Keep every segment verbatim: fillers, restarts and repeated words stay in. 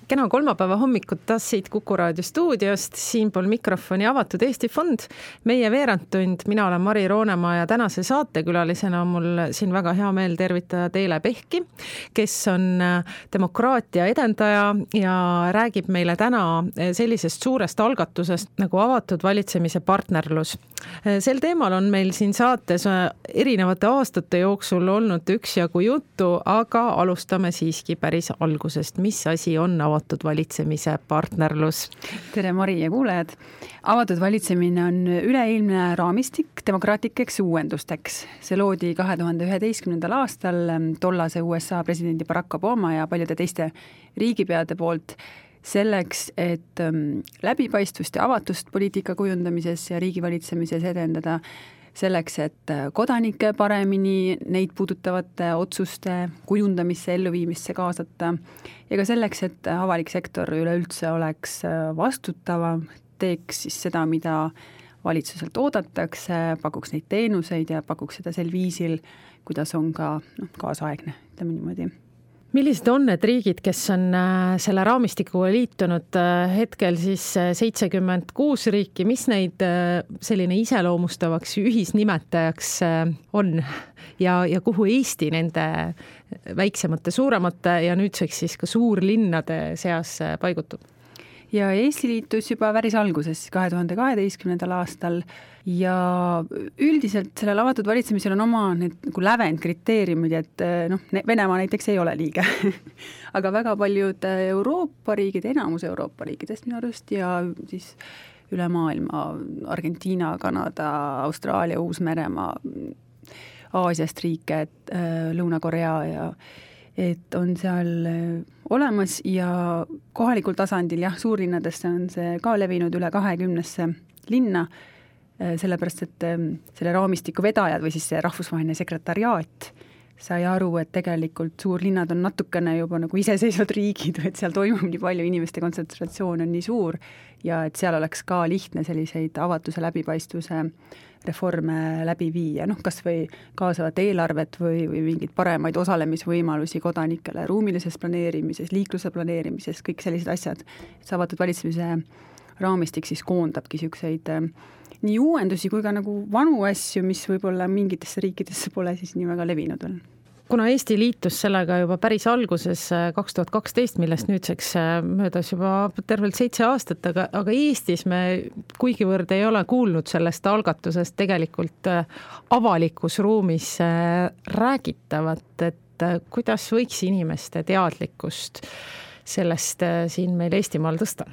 Kena kolmapäeva hommikut taas siit Kuku Raadio stuudiost, siinpool mikrofoni Avatud Eesti Fond. Meie veerandtund, mina olen Mari Roonemaa ja tänase saatekülalisena on mul siin väga hea meel tervitada Teele Pehki, kes on demokraatia edendaja ja räägib meile täna sellisest suurest algatusest nagu avatud valitsemise partnerlus. Sel teemal on meil siin saates erinevate aastate jooksul olnud üksjagu juttu, aga alustame siiski päris algusest. Mis asi on avatud valitsemise partnerlus? Tere Mari ja kuulajad! Avatud valitsemine on üleilmne raamistik demokraatlikeks uuendusteks. See loodi kahe tuhande üheteistkümnendal aastal tollase U S A presidendi Barack Obama ja paljude teiste riigipeade poolt selleks, et läbipaistvust ja avatust poliitika kujundamises ja riigivalitsemises edendada, selleks, et kodanikke paremini neid puudutavate otsuste kujundamisse, elluviimisse kaasata ja ka selleks, et avalik sektor üleüldse oleks vastutavam, teeks siis seda, mida valitsuselt oodatakse, pakuks neid teenuseid ja pakuks seda sel viisil, kuidas on ka no, kaasaegne, ütleme niimoodi. Millised on need riigid, kes on selle raamistikuga liitunud hetkel siis seitsekümmend kuus riiki, mis neid selline iseloomustavaks ühisnimetajaks on ja, ja kuhu Eesti nende väiksemate, suuremate ja nüüdseks siis ka suurlinnade seas paigutub? Ja Eesti liitus juba päris alguses kahe tuhande kaheteistkümnendal aastal ja üldiselt sellel avatud valitsemisel on oma need nagu lävend kriteeriumid, et noh, Venemaa näiteks ei ole liige. Aga väga paljud Euroopa riigid, enamus Euroopa riikidest minu arust ja siis üle maailma Argentiina, Kanada, Austraalia, Uus-Meremaa, Aasiast riike, Lõuna-Korea ja et on seal olemas ja kohalikul tasandil, jah, suurlinnadesse on see ka levinud üle kahekümnesse linna, sellepärast, et selle raamistiku vedajad või siis see rahvusvaheline sekretariaat sai aru, et tegelikult suurlinnad on natukene juba nagu iseseisvad riigid, et seal toimub nii palju, inimeste kontsentratsioon on nii suur ja et seal oleks ka lihtne selliseid avatuse läbipaistvuse reforme läbi viia, noh kas või kaasavat eelarvet või, või mingid paremaid osalemisvõimalusi kodanikele ruumilises planeerimises, liikluse planeerimises, kõik sellised asjad. See avatud valitsemise raamistik siis koondabki selliseid nii uuendusi kui ka nagu vanu asju, mis võib-olla mingitesse riikidesse pole siis nii väga levinud veel. Kuna Eesti liitus sellega juba päris alguses kaks tuhat kaksteist, millest nüüdseks möödas juba tervelt seitse aastat, aga, aga Eestis me kuigivõrd ei ole kuulnud sellest algatusest tegelikult avalikus ruumis räägitavat, et kuidas võiks inimeste teadlikkust sellest siin meil Eestimaal tõsta?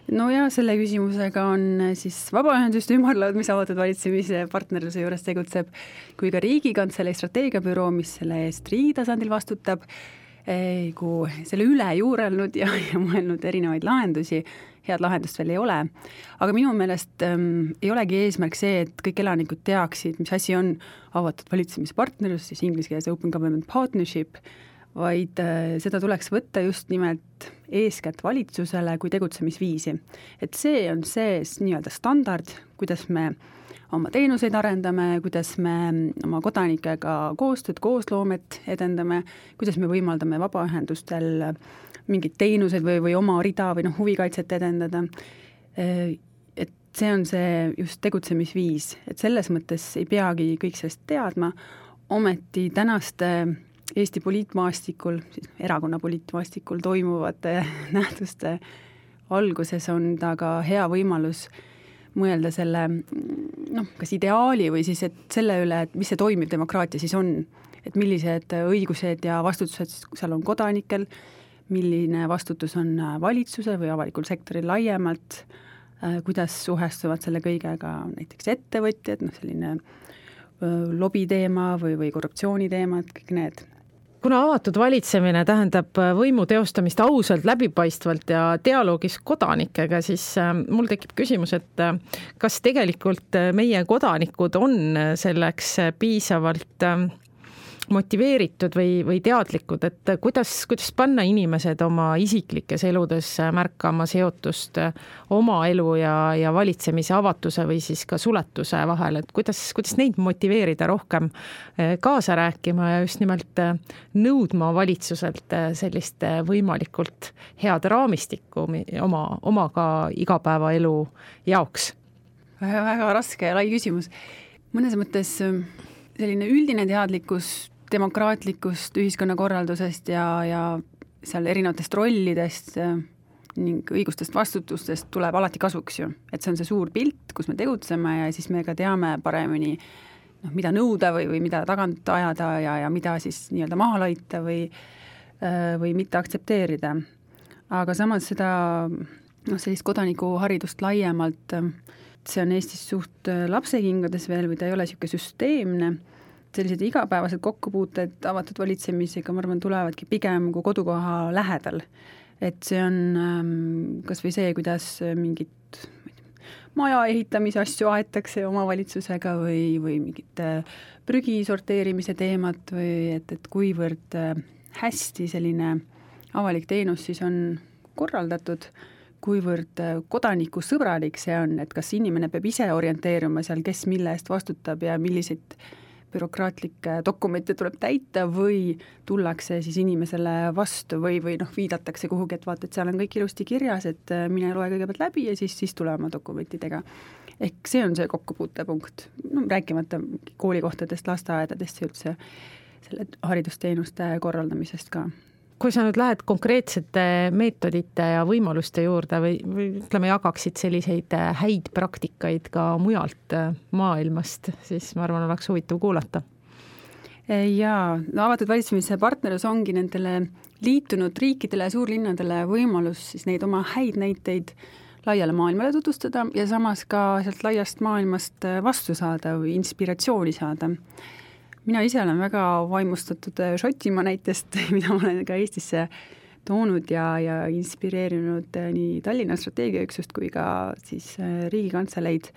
No ja selle küsimusega on siis Vabaühenduste ümarlaud, mis avatud valitsemise partnerluse juures tegutseb, kui ka Riigikantselei strateegiabüroo, mis selle eest riigi tasandil vastutab, kui selle üle juurelnud ja, ja mõelnud erinevaid lahendusi, head lahendust veel ei ole. Aga minu meelest ähm, ei olegi eesmärk see, et kõik elanikud teaksid, mis asi on avatud valitsemise partnerlus, siis inglise keeles Open Government Partnership, vaid seda tuleks võtta just nimelt eeskätt valitsusele kui tegutsemisviisi. Et see on see nii-öelda standard, kuidas me oma teenuseid arendame, kuidas me oma kodanikega koostööd, koosloomet edendame, kuidas me võimaldame vabaühendustel mingid teenused või, või oma rida või noh, huvikaitset edendada. Et see on see just tegutsemisviis, et selles mõttes ei peagi kõik sellest teadma, ometi tänaste Eesti poliitmaastikul, siis erakonna poliitmaastikul toimuvate nähtuste alguses on ta ka hea võimalus mõelda selle, noh, kas ideaali või siis et selle üle, et mis see toimiv demokraatia siis on, et millised õigused ja vastutused seal on kodanikel, milline vastutus on valitsuse või avalikul sektoril laiemalt, kuidas suhestuvad selle kõigega näiteks ettevõtjad, noh, selline lobiteema või, või korruptsiooniteemad, kõik need. Kuna avatud valitsemine tähendab võimu teostamist ausalt, läbipaistvalt ja dialoogis kodanikega, siis mul tekib küsimus, et kas tegelikult meie kodanikud on selleks piisavalt motiveeritud või, või teadlikud, et kuidas, kuidas panna inimesed oma isiklikes eludes märkama seotust oma elu ja, ja valitsemise avatuse või siis ka suletuse vahel, et kuidas, kuidas neid motiveerida rohkem kaasa rääkima ja just nimelt nõudma valitsuselt sellist võimalikult head raamistikku oma, oma ka igapäevaelu jaoks? Väga, väga raske ja lai küsimus. Mõnes mõttes selline üldine teadlikkus demokraatlikust ühiskonnakorraldusest ja, ja seal erinevatest rollidest ning õigustest vastutustest tuleb alati kasuks ju. Et see on see suur pilt, kus me tegutseme ja siis me ka teame paremini, noh, mida nõuda või, või mida tagant ajada ja, ja mida siis nii-öelda maha laita või, või mitte aktsepteerida. Aga samas seda noh, sellist kodanikuharidust laiemalt, see on Eestis suht lapsekingades veel või ta ei ole niisugune süsteemne. Sellised igapäevased kokkupuuted avatud valitsemisega, ma arvan, tulevadki pigem kui kodukoha lähedal. Et see on kas või see, kuidas mingit maja ehitamise asju aetakse omavalitsusega või, või mingit prügi sorteerimise teemat või et, et kuivõrd hästi selline avalik teenus siis on korraldatud, kuivõrd kodanikusõbralik see on, et kas inimene peab ise orienteeruma seal, kes mille eest vastutab ja milliseid bürokraatlikke dokumente tuleb täita või tullakse siis inimesele vastu või, või noh, viidatakse kuhugi, et vaata, et seal on kõik ilusti kirjas, et mine loe kõigepealt läbi ja siis, siis tule oma dokumentidega. Ehk see on see kokkupuutepunkt, no, rääkimata koolikohtadest, lasteaedadest ja üldse selle haridusteenuste korraldamisest ka. Kui sa nüüd lähed konkreetsete meetodite ja võimaluste juurde või, või ütleme, jagaksid selliseid häid praktikaid ka mujalt maailmast, siis ma arvan, oleks huvitav kuulata. Jaa, no avatud valitsemise partnerlus ongi nendele liitunud riikidele ja suurlinnadele võimalus siis neid oma häid näiteid laiale maailmale tutvustada ja samas ka sealt laiast maailmast vastu saada või inspiratsiooni saada. Mina ise olen väga vaimustatud Šotimaa näitest, mida ma olen ka Eestisse toonud ja, ja inspireerinud nii Tallinna strateegiaüksust kui ka siis Riigikantseleid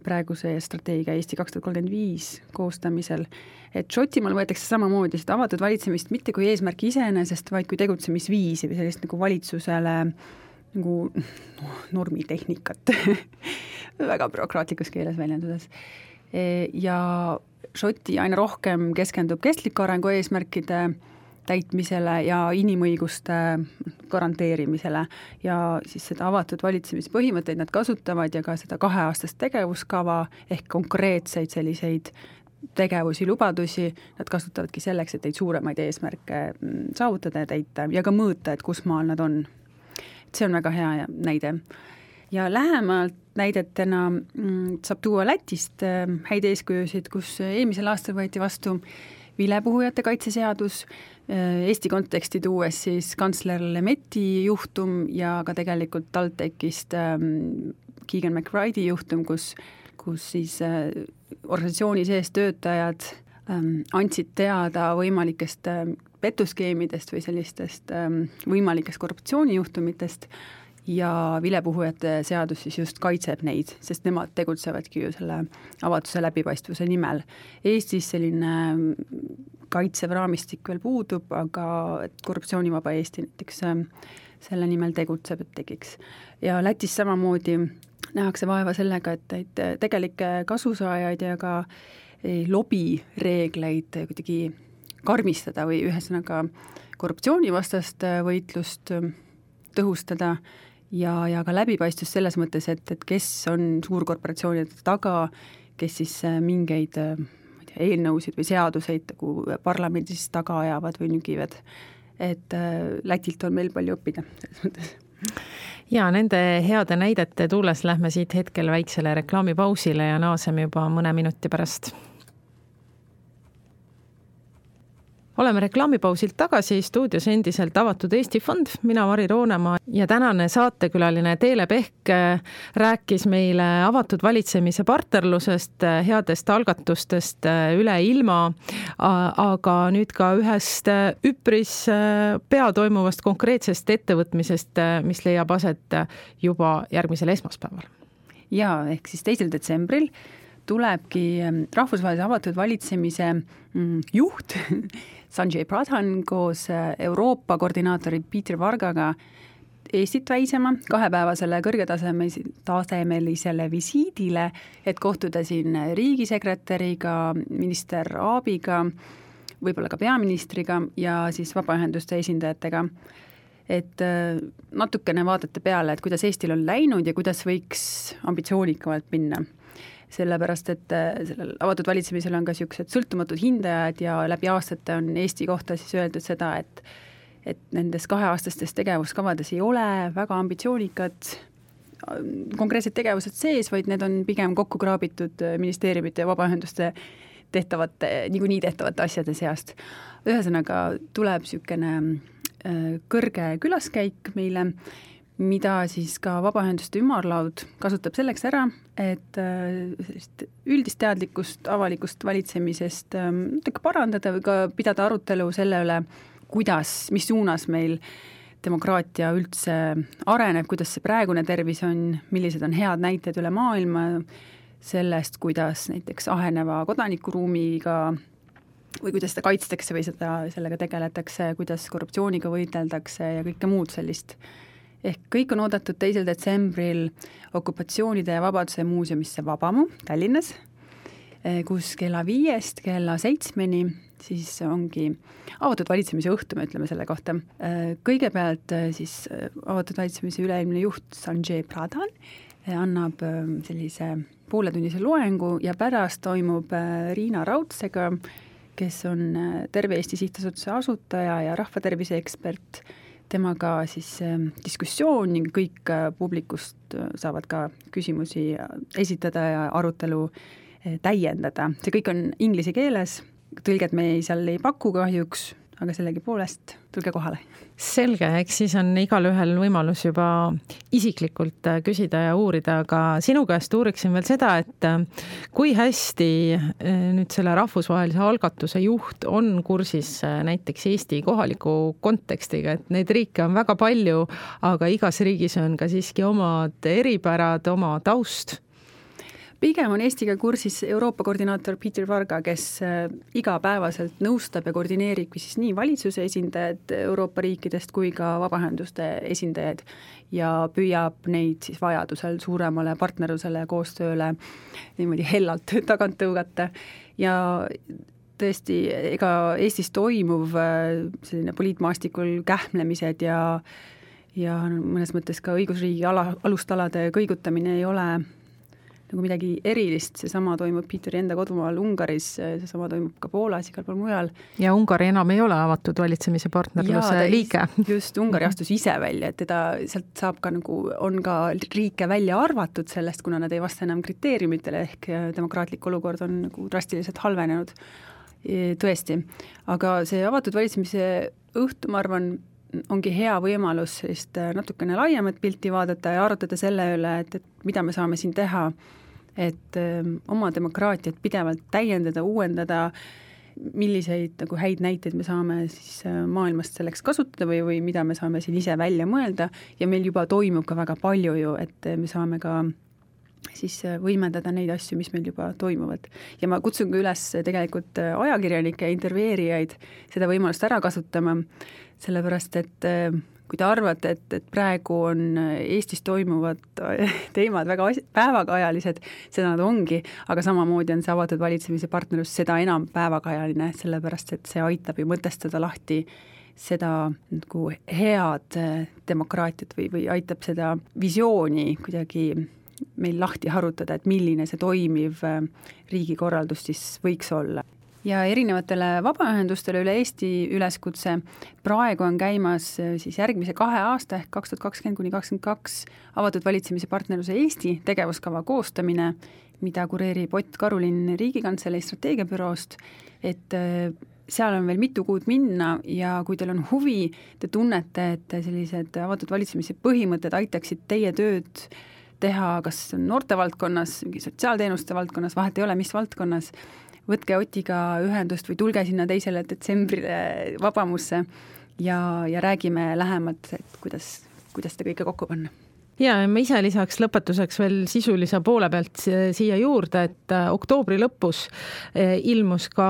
praeguse strateegia Eesti kaks tuhat kolmkümmend viis koostamisel. Et Šotimaal võetakse samamoodi seda avatud valitsemist mitte kui eesmärki iseenesest, vaid kui tegutsemisviisi või sellist nagu valitsusele nagu no, normitehnikat väga bürokraatlikus keeles väljendudes. Ja Šoti aina rohkem keskendub kestliku arengu eesmärkide täitmisele ja inimõiguste garanteerimisele ja siis seda avatud valitsemispõhimõtteid nad kasutavad ja ka seda kaheaastast tegevuskava ehk konkreetseid selliseid tegevusi, lubadusi, nad kasutavadki selleks, et neid suuremaid eesmärke saavutada ja täita ja ka mõõta, et kus maal nad on. See on väga hea näide. Ja lähemalt näidetena saab tuua Lätist häid eeskujusid, kus eelmisel aastal võeti vastu vilepuhujate kaitseseadus, Eesti konteksti tuues siis kantsler Lemeti juhtum ja ka tegelikult TalTechist Keegan McBride'i juhtum, kus, kus siis organisatsiooni sees töötajad andsid teada võimalikest petuskeemidest või sellistest võimalikest korruptsioonijuhtumitest ja vilepuhujate seadus siis just kaitseb neid, sest nemad tegutsevadki ju selle avatuse läbipaistvuse nimel. Eestis selline kaitsev raamistik veel puudub, aga korruptsioonivaba Eesti näiteks selle nimel tegutseb, et tegiks. Ja Lätis samamoodi nähakse vaeva sellega, et, et tegelikke kasusaajaid ja ka lobireegleid kuidagi karmistada või ühesõnaga korruptsioonivastast võitlust tõhustada ja, ja ka läbipaistvus selles mõttes, et, et kes on suurkorporatsioonide taga, kes siis mingeid ma ei tea, eelnõusid või seaduseid nagu parlamendis taga ajavad või nügivad. Et Lätilt on meil palju õppida selles mõttes. Ja nende heade näidete tuules lähme siit hetkel väiksele reklaamipausile ja naaseme juba mõne minuti pärast. Oleme reklaamipausilt tagasi, stuudios endiselt avatud Eesti Fond, mina Mari Roonemaa ja tänane saatekülaline Teele Pehk rääkis meile avatud valitsemise partnerlusest, headest algatustest üle ilma, aga nüüd ka ühest üpris pea toimuvast konkreetsest ettevõtmisest, mis leiab aset juba järgmisel esmaspäeval. Ja ehk siis teisel detsembril tulebki rahvusvahelise avatud valitsemise juht Sanjay Pradhan koos Euroopa koordinaatori Peter Vargaga Eestit väisema kahepäevasele kõrgetasemelisele visiidile, et kohtuda siin riigisekretäriga, minister Aabiga, võib-olla ka peaministriga ja siis vabaühenduste esindajatega. Et natukene vaadata peale, et kuidas Eestil on läinud ja kuidas võiks ambitsioonikamalt minna. Sellepärast, et sellel avatud valitsemisel on ka niisugused sõltumatud hindajad ja läbi aastate on Eesti kohta siis öeldud seda, et, et nendes kaheaastastes tegevuskavades ei ole väga ambitsioonikad konkreetsed tegevused sees, vaid need on pigem kokku kraabitud ministeeriumite ja vabaühenduste tehtavate, niikuinii tehtavate asjade seast. Ühesõnaga tuleb niisugune kõrge külaskäik meile, mida siis ka vabaühenduste ümarlaud kasutab selleks ära, et üldist teadlikkust avalikust valitsemisest parandada või ka pidada arutelu selle üle, kuidas, mis suunas meil demokraatia üldse areneb, kuidas see praegune tervis on, millised on head näited üle maailma sellest, kuidas näiteks aheneva kodanikuruumiga või kuidas seda kaitstakse või seda, sellega tegeletakse, kuidas korruptsiooniga võiteldakse ja kõike muud sellist. Ehk kõik on oodatud teisel detsembril okupatsioonide ja vabaduse muuseumisse Vabamu Tallinnas, kus kella viiest kella seitsmeni siis ongi avatud valitsemise õhtu, me ütleme selle kohta. Kõigepealt siis avatud valitsemise üleilmne juht Sanjay Pradhan annab sellise pooletunnise loengu ja pärast toimub Riina Raudsega, kes on Terve Eesti Sihtasutuse asutaja ja rahvatervise ekspert, temaga siis diskussioon ning kõik publikust saavad ka küsimusi esitada ja arutelu täiendada. See kõik on inglise keeles, tõlget me seal ei paku kahjuks, aga sellegipoolest tulge kohale. Selge, eks siis on igal ühel võimalus juba isiklikult küsida ja uurida, aga sinu käest uuriksin veel seda, et kui hästi nüüd selle rahvusvahelise algatuse juht on kursis näiteks Eesti kohaliku kontekstiga, et neid riike on väga palju, aga igas riigis on ka siiski omad eripärad, oma taust. Pigem on Eestiga kursis Euroopa koordinaator Peter Varga, kes igapäevaselt nõustab ja koordineerib siis nii valitsuse esindajad Euroopa riikidest kui ka vabaühenduste esindajad ja püüab neid siis vajadusel suuremale partnerlusele ja koostööle niimoodi hellalt tagant tõugata. Ja tõesti, ega Eestis toimuv selline poliitmaastikul kähmlemised ja, ja mõnes mõttes ka õigusriigi ala, alustalade kõigutamine ei ole nagu midagi erilist, seesama toimub Peeteri enda kodumaal Ungaris, seesama toimub ka Poolas, igal pool mujal. Ja Ungari enam ei ole avatud valitsemise partnerluse ja, liige. Just, Ungari astus ise välja, et teda sealt saab ka nagu, on ka riike välja arvatud sellest, kuna nad ei vasta enam kriteeriumitele, ehk demokraatlik olukord on nagu drastiliselt halvenenud. Tõesti, aga see avatud valitsemise õhtu, ma arvan, ongi hea võimalus sellist natukene laiemat pilti vaadata ja arutada selle üle, et, et mida me saame siin teha, et öö, oma demokraatiat pidevalt täiendada, uuendada, milliseid nagu häid näiteid me saame siis maailmast selleks kasutada või, või mida me saame siin ise välja mõelda ja meil juba toimub ka väga palju ju, et me saame ka siis võimendada neid asju, mis meil juba toimuvad. Ja ma kutsun ka üles tegelikult ajakirjanikke, intervjueerijaid seda võimalust ära kasutama, sellepärast et kui te arvate, et, et praegu on Eestis toimuvad teemad väga päevakajalised, seda nad ongi, aga samamoodi on see avatud valitsemise partnerlus seda enam päevakajaline, sellepärast et see aitab ju mõtestada lahti seda nagu head demokraatiat või, või aitab seda visiooni kuidagi meil lahti harutada, et milline see toimiv riigikorraldus siis võiks olla. Ja erinevatele vabaühendustele üle Eesti üleskutse praegu on käimas siis järgmise kahe aasta ehk kaks tuhat kakskümmend kuni kakskümmend kaks avatud valitsemise partnerluse Eesti tegevuskava koostamine, mida kureerib Ott Karulin Riigikantselei strateegiabüroost, et seal on veel mitu kuud minna ja kui teil on huvi, te tunnete, et sellised avatud valitsemise põhimõtted aitaksid teie tööd teha kas noortevaldkonnas, sotsiaalteenuste valdkonnas, vahet ei ole, mis valdkonnas, võtke Otiga ühendust või tulge sinna teisele detsembrile Vabamusse ja, ja räägime lähemalt, et kuidas, kuidas te kõike kokku panna. ja ma ise lisaks lõpetuseks veel sisulise poole pealt siia juurde, et oktoobri lõpus ilmus ka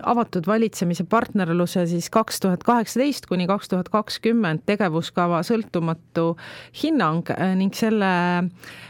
avatud valitsemise partnerluse siis kaks tuhat kaheksateist kuni kaks tuhat kakskümmend tegevuskava sõltumatu hinnang ning selle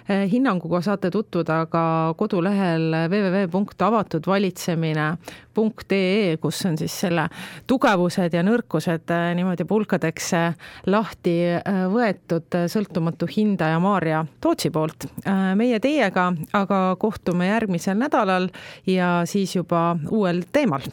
hinnanguga saate tutvuda ka kodulehel w w w punkt avatud valitsemine punkt e e, kus on siis selle tugevused ja nõrkused niimoodi pulkadeks lahti võetud sõltumatu hindaja Maarja Tootsi poolt. Meie teiega aga kohtume järgmisel nädalal ja siis juba uuel teemal.